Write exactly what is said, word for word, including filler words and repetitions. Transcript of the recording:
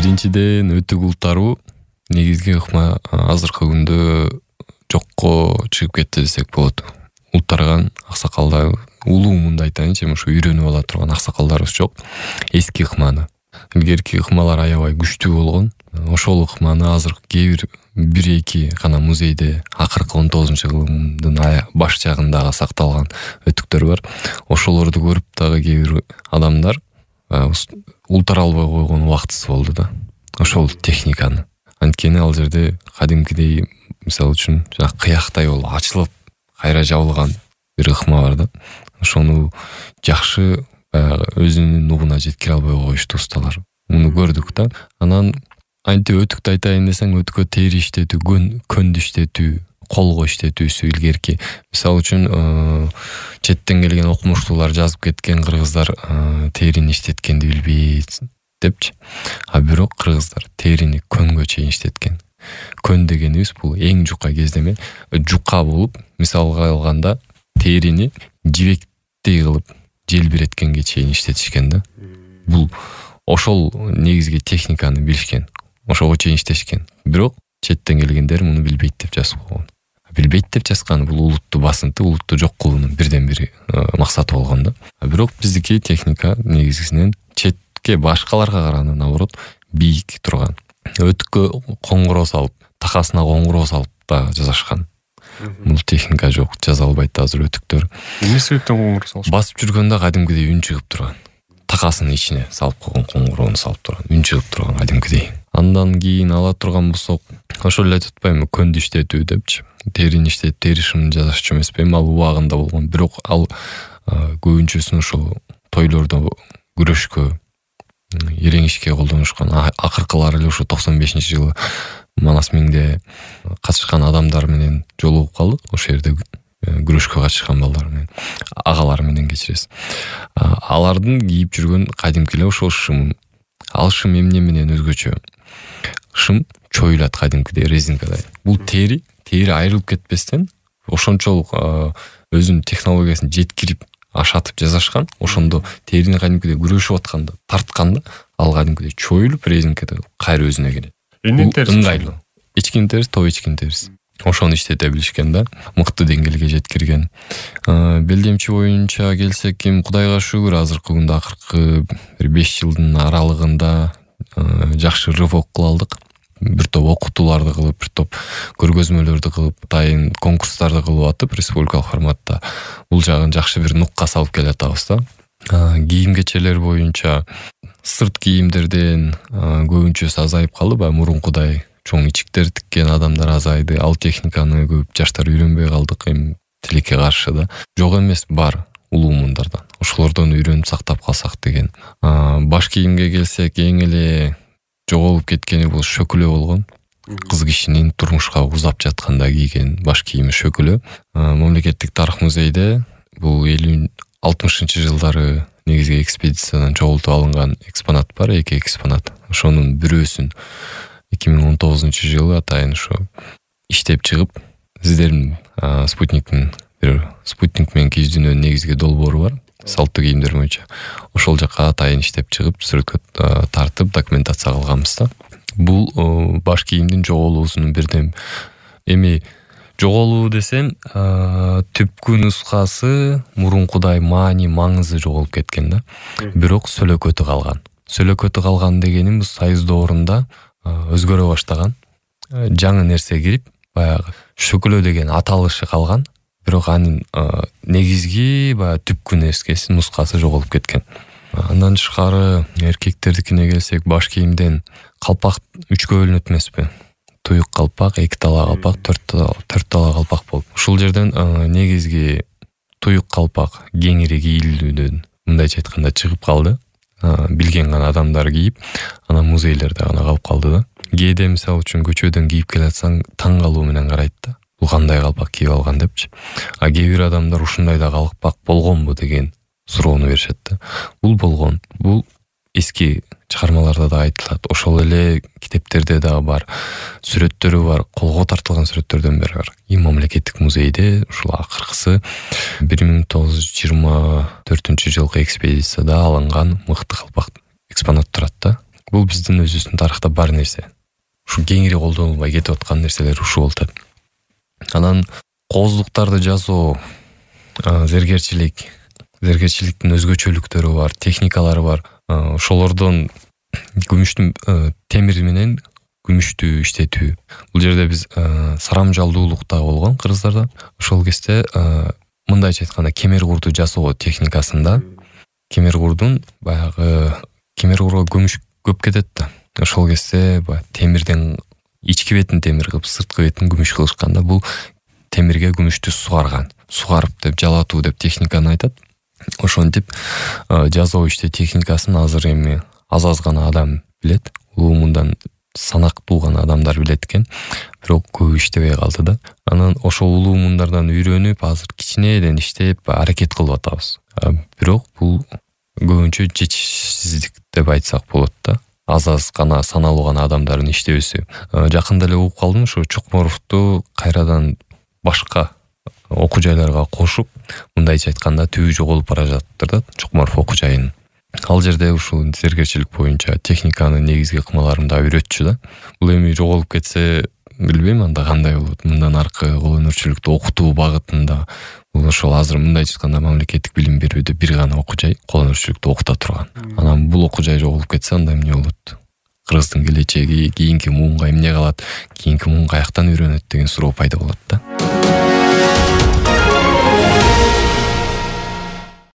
Биринчиден өтүк ултаруу негизги ыкма азыркы күндө жокко чыгып кетти десек болот. Ултарган аксакалдар, улуумунда айтайынчы, ушу үйрөнүп ала турган аксакалдарыбыз жок. Эски ыкманы. Илгерки ыкмалар аябай күчтүү болгон. Ошол ыкманы азыр кээ бир бир эки гана музейде акыркы он тогузунчу кылымдын баш жагындагы сакталган өтүктөр бар. Ошолорду көрүп дагы кээ бир адамдар ултара албай койгон убактысы болду да. Ошол техниканы. Анткени ал жерде кадимкидей, мисалы үчүн, жана кыяктай болуп ачылып, кайра жабылган бир ыкма бар да. Ошону жакшы баягы өзүнүн нугуна жеткире албай коюшту усталар. Муну көрдүк да. Анан антип өтүктү айтайын десең, өтүккө тери иштетүү, көндү иштетүү, колго иштетүүсү илгерки. Мисалы үчүн, четтен келген окумуштуулар жазып кеткен кыргыздар терини иштеткенди билбейт депчи. А бирок кыргыздар терини көнгө чейин иштеткен. Көн дегенибиз бул эң жука кездеме, жука болуп, мисалга алганда терини жибектей кылып желбиреткенге чейин иштетишкен да. Бул ошол негизги техниканы билишкен. Ошого чейин иштешкен. Бирок четтен келгендер муну билбейт деп жазып койгон. Билбейт деп жазганы бул улутту басынты, улутту жок кылуунун бирден бир максаты болгон да. Бирок биздики техника негизинен четке, башкаларга караганда наоборот бийик турган. Өтүккө коңгуроо салып, такасына коңгуроо салып да жасашкан. Бул техника жок, жаза албайт азыр өтүктөр. Эмне себептен коңгуроо салышат? Басып жүргөндө кадимкидей үн чыгып турган. Такасынын ичине салып койгон коңгуроону салып турган, үн чыгып турган кадимкидей. Андан кийин ала турган болсок, ошол эле айтып атпаймынбы, көндү иштетүү депчи. Терини иштетип, тери шымын жасашчу эмес эми ал убагында болгон. Бирок ал көбүнчөсүн ошол тойлордо күрөшкө, иреңишке колдонушкан. Акыркылары эле ошо токсон бешинчи жылы Манас миңде катышкан адамдар менен жолугуп калдык. Ошол жерде күрөшкө катышкан балдар менен, агалар менен кечиресиз. Алардын кийип жүргөн кадимки эле ошол шым. Ал шым эмне менен өзгөчө? Шым чоюлат кадимкидей резинкадай. Бул тери, тери айрылып кетпестен ошончолук өзүнүн технологиясын жеткирип, ашатып жасашкан. Ошондо терини кадимкидей күрөшүп атканда, тартканда, ал кадимкидей чоюлуп резинкада кайра өзүнө келет. Эмне терси? Ыңгайлуу. Эчкинин терси, топ эчкинин терси. Ошону иштете билишкен да, мыкты деңгээлге жеткирген. Белдемчи боюнча келсек, ким Кудайга шүгүр азыркы күндө акыркы бир беш жылдын аралыгында жакшы рывок кыла алдык. Бир топ окутууларды кылып, бир топ көргөзмөлөрдү кылып, атайын конкурстарды кылып атып, республикалык форматта бул жагын жакшы бир нукка салып келатабыз да. Кийим кечелер боюнча сырт кийимдерден көбүнчөсү азайып калды, баягы мурункудай чоң ичиктер тиккен адамдар азайды. Ал техниканы көп жаштар үйрөнбөй калдык, эми тилекке каршы да. Жок эмес, бар улуумундардан. Ошолордон үйрөнүп сактап калсак деген. Баш кийимге келсек, эң эле жоголуп кеткени бул шөкүлө болгон. Кыз кишинин турмушка узап жатканда кийген баш кийими шөкүлө. Мамлекеттик тарых музейде бул элүү алтымышынчы жылдары негизги экспедициядан чогултуп алынган экспонат бар, эки экспонат. Ошонун бирөөсүн эки миң он тогузунчу жылы атайын ошо иштеп чыгып, сиздердин спутниктин бир спутник менен киздүүнүн негизги долбоору бар, салттуу кийимдер боюнча. Ошол жака атайын иштеп чыгып, сүрөткө тартып, документация кылганбыз да. Бул баш кийимдин жоголуусунун бирден эми жоголуу десем, түпкү нускасы мурункудай маани, маңызы жоголуп кеткен да. Бирок сөлөкөтү калган. Сөлөкөтү калган дегенimiz союз доорунда өзгөрө баштаган. Жаңы нерсе кирип, баягы шөкүлө деген аталышы калган. Бирок анын негизги баягы түпкү нерсеси, нускасы жоголуп кеткен. Андан тышкары эркектердикине келсек, баш кийимден калпак үчкө бөлүнөт эмеспи? Туюк калпак, эки тала калпак, төрт тала калпак болуп. Ушул жерден негизги туюк калпак кеңири кийилүүдөн, мындайча айтканда, чыгып калды. Билген гана адамдар кийип, анан музейлерде гана калып калды да. Кээде мисалы үчүн көчөдөн кийип келатсаң, таң калуу менен карайт да. Бул кандай калпак кийип алган депчи. А кээ бир адамдар ушундай да калпак болгонбу деген суроону беришет да. Бул болгон. Бул эски чыгармаларда да айтылат. Ошол эле китептерде да бар, сүрөттөрү бар, колго тартылган сүрөттөрдөн бери бар. И мамлекеттик музейде ушул акыркысы бир миң тогуз жүз жыйырма төртүнчү жылкы экспедицияда алынган мыкты калпак экспонат турат да. бул биздин өзүбүздүн тарыхта бар нерсе. Ушу кеңири колдонулбай кетип аткан нерселер ушул болуп атат. Анан кооздуктарды жасоо, зергерчилик, зергерчиликтин өзгөчөлүктөрү бар, техникалары бар. Ошолордон күмүштүн темир менен күмүштү иштетүү. Бул жерде биз сарамжалдуулукта болгон кыргыздарда. Ошол кезде мындайча айтканда кемер курду жасоо техникасында кемер курдун баягы кемер курга күмүш көп кетет да. Ошол кезде баягы темирден ички бетин темир кылып, сырткы бетин күмүш кылышканда бул темирге күмүштү сугарган. Сугарып деп жалатуу деп техниканы айтат. Ошентип жасоо иште техникасын азыр эми аз-аз гана адам билет. Улумундан санактуу гана адамдар билет экен. Бирок көп иштебей калды да. Анан ошол улумундардан үйрөнүп, азыр кичинеден иштеп аракет кылып атабыз. Бирок бул көбүнчө жетишсиздик деп айтсак болот да. Аз-аз гана саналуу гана адамдардын иштебеси. Жакында эле угуп калдым, ошо Чокморовду кайрадан башка окуу жайларга кошуп, мындайча айтканда түбү жоголуп бара жатыптыр да, Чокморов окуу жайын. Ал жерде ушул зергерчилик боюнча техниканын негизги ыкмаларын да үйрөтчү да. Бул эми жоголуп кетсе, билбейм анда кандай болот. Мындан аркы кол өнөрчүлүктү окутуу багытында бул ошол азыр мындайча айтканда мамлекеттик билим берүүдө бир гана окуу жай кол өнөрчүлүктү окута турган. Анан бул окуу жай жоголуп кетсе, анда эмне болот? Кыргыздын келечеги, кийинки муунга эмне калат? Кийинки муун каяктан үйрөнөт деген суроо пайда болот да.